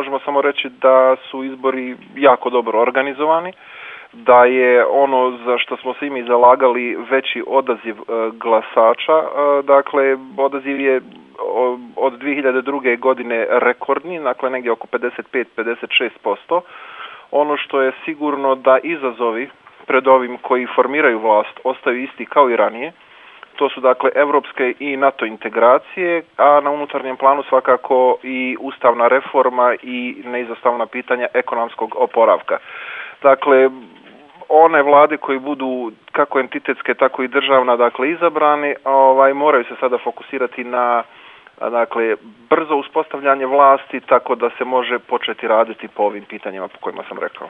možemo samo reći da su izbori jako dobro organizovani, da je ono za što smo se i mi zalagali veći odaziv glasača, dakle odaziv je od 2002. godine rekordni, dakle negdje oko 55-56%. Ono što je sigurno da izazovi pred ovim koji formiraju vlast ostaju isti kao i ranije. To su dakle evropske i NATO integracije, a na unutarnjem planu svakako i ustavna reforma i neizostavna pitanja ekonomskog oporavka. Dakle, one vlade koji budu kako entitetske, tako i državna, dakle izabrani, moraju se sada fokusirati na brzo uspostavljanje vlasti, tako da se može početi raditi po ovim pitanjima po kojima sam rekao.